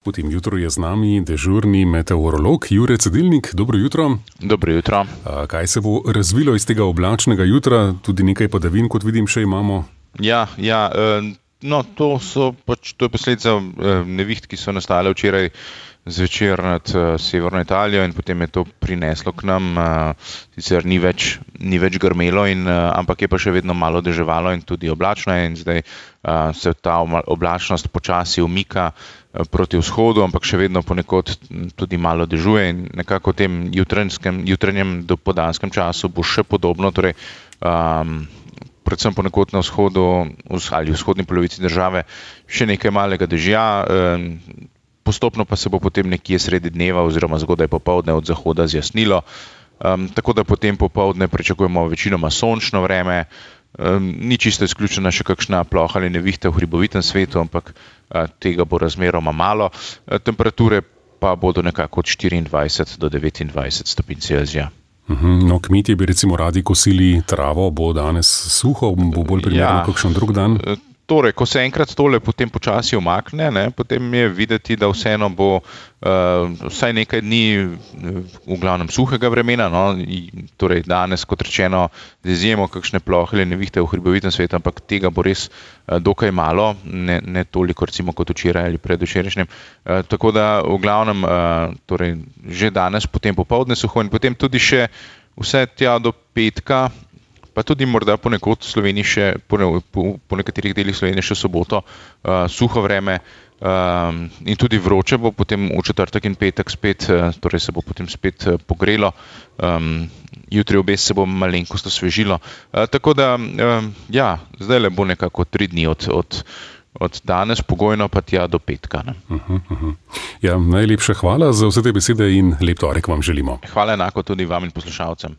V tem jutru je z nami dežurni meteorolog Jure Cedilnik. Dobro jutro. Dobro jutro. Kaj se bo razvilo iz tega oblačnega jutra? Tudi nekaj padavin, kot vidim, še imamo. To je posledica neviht, ki so nastale včeraj zvečer nad severno Italijo in potem je to prineslo k nam. Sicer ni več grmelo, ampak je pa še vedno malo deževalo in tudi oblačno je, in zdaj se ta oblačnost počasi umika proti vzhodu, ampak še vedno ponekod tudi malo dežuje in nekako v tem jutranjem dopoldanskem času bo še podobno, torej predvsem ponekod na vzhodu ali vzhodni polovici države še nekaj malega dežja, postopno pa se bo potem nekje sredi dneva oziroma zgodaj popoldne od zahoda zjasnilo, tako da potem popoldne pričakujemo večinoma sončno vreme. Ni čisto izključena še kakšna ploha ali nevihta v hribovitem svetu, ampak tega bo razmeroma malo. Temperature pa bodo nekako od 24 do 29 stopinj Celzija. No, kmetje bi recimo radi kosili travo, bo danes suho, bo bolj primerno kakšen drug dan? Torej, ko se enkrat tole potem počasi umakne, potem je videti, da vseeno bo vsaj nekaj dni v glavnem suhega vremena, torej danes, kot rečeno, z izjemo kakšne plohe ali nevihte v hribovitem svetu, ampak tega bo res dokaj malo, ne toliko recimo kot včeraj ali predvčerajšnjem. Tako da v glavnem torej že danes potem popoldne suho in potem tudi še vse tja do petka, pa tudi morda ponekod v Sloveniji še, po nekaterih delih Slovenije še soboto, suho vreme in tudi vroče bo potem v četrtek in petek spet, torej se bo potem spet pogrelo, jutri obes se bo malenkost osvežilo, tako da, zdajle bo nekako 3 dni od danes pogojno pa tja do petka. Ja, najlepša hvala za vse te besede in lep torek vam želimo. Hvala enako tudi vam in poslušalcem.